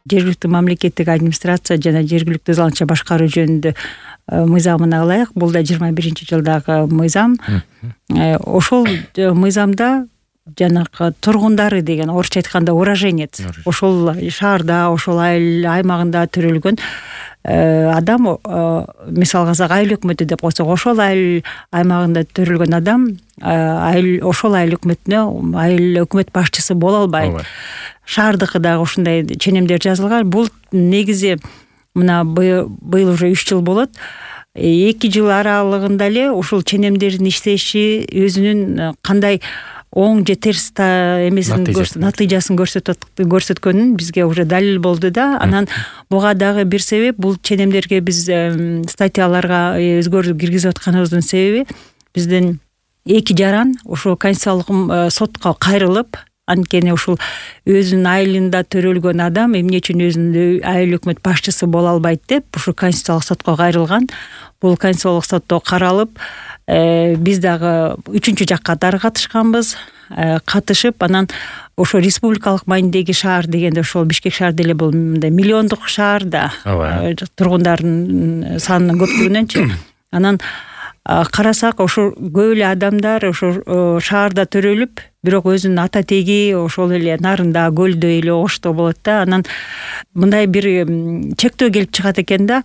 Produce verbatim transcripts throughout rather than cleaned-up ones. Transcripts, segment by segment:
жергиликтүү мамлекеттик администрация жана жергиликтүү заланча башкаруу жөнүндө мыйзамын алайык. Бул да жыйырма биринчи жылдагы мыйзам. Ошол мыйзамда жанагы тургундары деген, орусча айтканда уроженец, ошол шаарда, ошол айыл аймагында төрөлгөн адам, мисалга алсак айыл өкмөтү деп койсок, ошол айыл аймагында төрөлгөн адам айыл ошол айыл өкмөтүнө айыл өкмөт башчысы боло албайт. Шаардыкы дагы ушундай ченемдер жазылган. Бул негизи мына быйыл уже үч жыл болот. эки жыл аралыгында эле ушул ченемдердин иштеши өзүнүн кандай оң же терс эмесин натыйжасын көрсөткөнүн бизге уже далил болду да. Анан буга дагы бир себеп, бул ченемдерге биз статьяларга өзгөртүү киргизип атканыбыздын себеби, биздин эки жаран ошо конституциялык сотко кайрылып, анткени ушул өзүнүн айылында төрөлгөн адам эмне үчүн өзүнүн айыл өкмөт башчысы боло албайт деп ушу конституциялык сотко кайрылган. Бул конституциялык сотто каралып, биз дагы үчүнчү жак катары катышканбыз. Катышып, анан ошо республикалык маанидеги шаар дегенде ошол Бишкек шаар деле бул мындай миллиондук шаар да, тургундардын санынын көптүгүнөнчү. Анан карасак, ошо көп эле адамдар ошо шаарда төрөлүп, бирок өзүнүн ата теги ошол эле нарында, көлдө эле ошто болот да. Анан мындай бир чектөө келип чыгат экен да.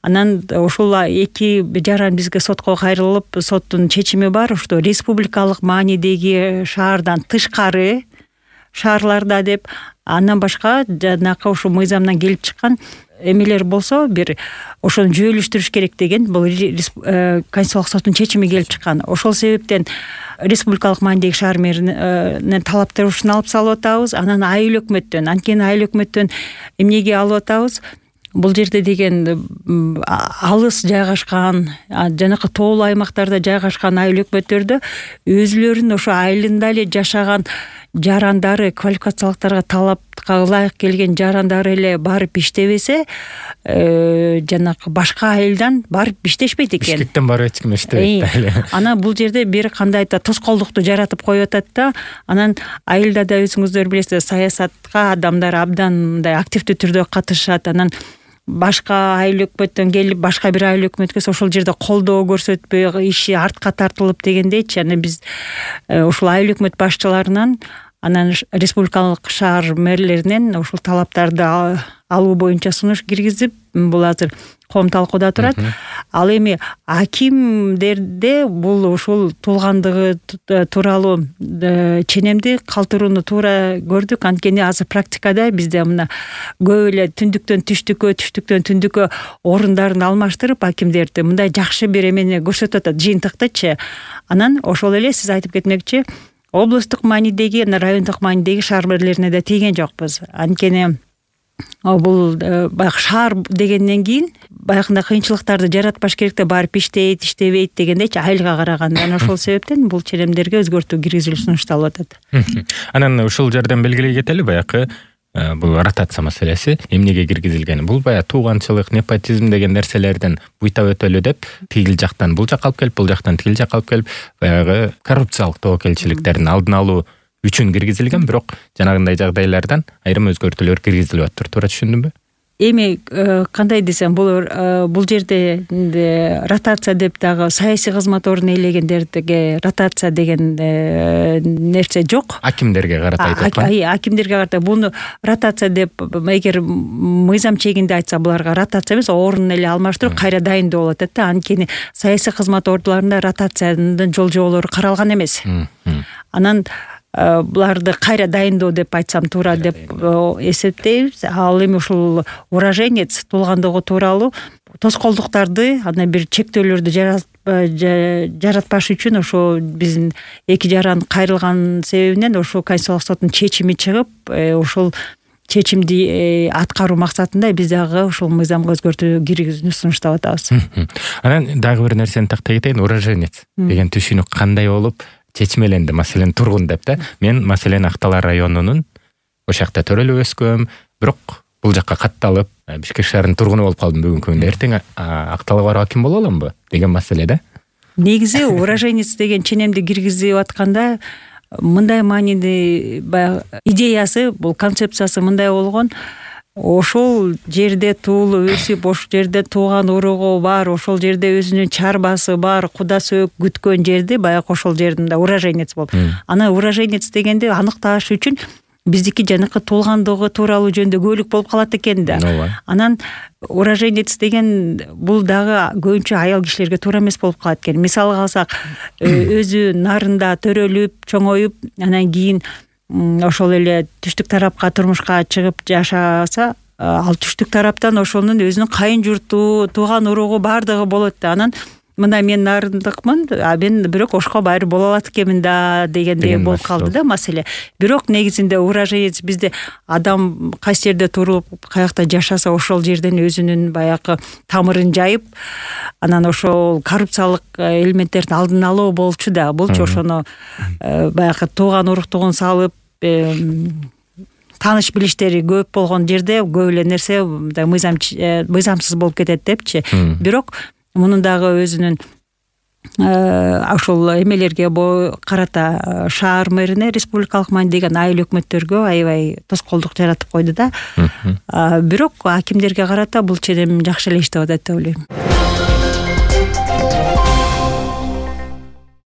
Анан ушул эки жаран бизге сотко кайрылып, соттун чечими бар, ошто республикалык маанидеги шаардан тышкары шаарларда деп, андан башка жанакы ошо мыйзамдан келип чыккан эмелер болсо, бир ошону жүйөлүштүрүш керек деген бул конституциялык соттун чечими келип чыккан. Ошол себептен республикалык маанидеги шаар мэринин талаптарын алып салып атабыз. Анан айыл өкмөттөн, анткени айыл өкмөттөн эмнеге алып атабыз? Бул жерде деген алыс жайгашкан, жанакы тоолуу аймактарда жайгашкан айыл өкмөттөрдө өзүлөрүнүн ошо айылында эле жашаган жарандары, квалификациялыктарга талапка ылайык келген жарандары эле барып иштебесе, жанакы башка айылдан барып иштешпейт экен. Бишкектен барып эч ким иштебейт эле. Анан бул жерде бир кандай да тоскоолдукту жаратып коюп атат да. Анан айылда да өзүңүздөр билесиз, саясатка адамдар абдан мындай активдүү түрдө катышат. Анан башка айыл өкмөттөн келип, башка бир айыл өкмөткө ошол жерде колдоо көрсөтпөй, иши артка тартылып дегендейчи. Анан биз ушул айыл өкмөт башчыларынан, анан республикалык шаар мэрлеринен ушул талаптарды алуу боюнча сунуш киргизип, бул азыр коом талкууда турат. Ал эми акимдерде бул ушул туулгандыгы тууралуу ченемди калтырууну туура көрдүк. Анткени азыр практикада бизде мына көп эле түндүктөн түштүккө, түштүктөн түндүккө орундарын алмаштырып, акимдерди мындай жакшы бир эмени көрсөтүп атат, жыйынтыктычы. Анан ошол эле сиз айтып кетмекчи, облустук маанидеги, райондук маанидеги шаар мэрлерине да тийген жокпуз. Анткени бул баягы шаар дегенден кийин баягындай кыйынчылыктарды жаратпаш керек да, барып иштейт, иштебейт дегендейчи, айылга караганда. Анан ошол себептен бул ченемдерге өзгөртүү киргизилип сунушталып атат. Анан ушул жерден белгилей кетели, баягы бул ротация маселеси эмнеге киргизилгени. Бул баягы тууганчылык, непотизм деген нерселерден буйтап өтөлү деп, тигил жактан бул жакка алып келип, бул жактан тигил жакка алып келип, баягы коррупциялык тобокелчиликтердин алдын алуу үчүн киргизилген, бирок жанагындай жагдайлардан айрым өзгөртүүлөр киргизилип атат. Туура түшүндүмбү? Эми кандай десем, бул бул жерде ротация деп дагы саясий кызмат ордун ээлегендерге ротация деген нерсе жок. Акимдерге карата айтып аткан. Акимдерге карата буну ротация деп, эгер мыйзам чегинде айтса, буларга ротация эмес, орун эле алмаштыруу, кайра дайындоо болуп атат да. Анткени саясий кызмат ордуларында ротациянын жол жоболору каралган эмес. Анан буларды кайра дайындоо деп айтсам туура деп эсептейбиз. Ал эми ушул уроженец туулгандыгы тууралуу тоскоолдуктарды, андан бир чектөөлөрдү жаратпаш үчүн ошо биздин эки жаран кайрылган себебинен ошо конституциялык соттун чечими чыгып, ошол чечимди аткаруу максатында биз дагы ушул мыйзамга өзгөртүү киргизүүнү сунуштап атабыз. Анан дагы бир нерсени тактай кетейин, уроженец деген түшүнүк кандай болуп чечмеленди? Маселен, тургун деп да. Мен маселен Актала районунун ошол жакта төрөлүп өскөм, бирок бул жакка катталып Бишкек шаарынын тургуну болуп калдым бүгүнкү күндө. Эртең Акталга барып аким боло аламбы деген маселе да. Негизи уроженец деген ченемди киргизип атканда мындай мааниде баягы идеясы, бул концепциясы мындай болгон. ошол жерде туулуп өсүп, ошол жерде тууган уругу бар, ошол жерде өзүнүн чарбасы бар, куда сөөк күткөн жерди баягы ошол жердин да уроженец болот. Анан уроженец дегенди аныкташ үчүн биздики жанакы туулгандыгы тууралуу жөнүндө көбүлүк болуп калат экен да. Анан уроженец деген бул дагы көбүнчө аял кишилерге туура эмес болуп калат экен. Мисалга алсак, өзү нарында төрөлүп, чоңоюп, анан кийин ошол эле түштүк тарапка турмушка чыгып жашаса, ал түштүк тараптан ошонун өзүнүн кайын журту, тууган уругу бардыгы болот да. Анан мына мен нарындыкмын, а мен бирок ошко байыр боло алат экенмин да дегендей болуп калды да маселе. Бирок негизинде уроженец бизде адам кайсы жерде туруп, каякта жашаса ошол жерден өзүнүн баягы тамырын жайып, анан ошол коррупциялык элементтердин алдын алуу болчу да. Булчу ошону баягы тууган уруктугун салып, тааныш билиштери көп болгон жерде көп эле нерсе мыйзам мыйзамсыз болуп кетет депчи. Бирок мунун дагы өзүнүн ошол эмелерге карата шаар мэрине республикалык маанидеги айыл өкмөттөргө аябай тоскоолдук жаратып койду да. Бирок акимдерге карата бул ченем жакшы эле иштеп атат деп ойлойм.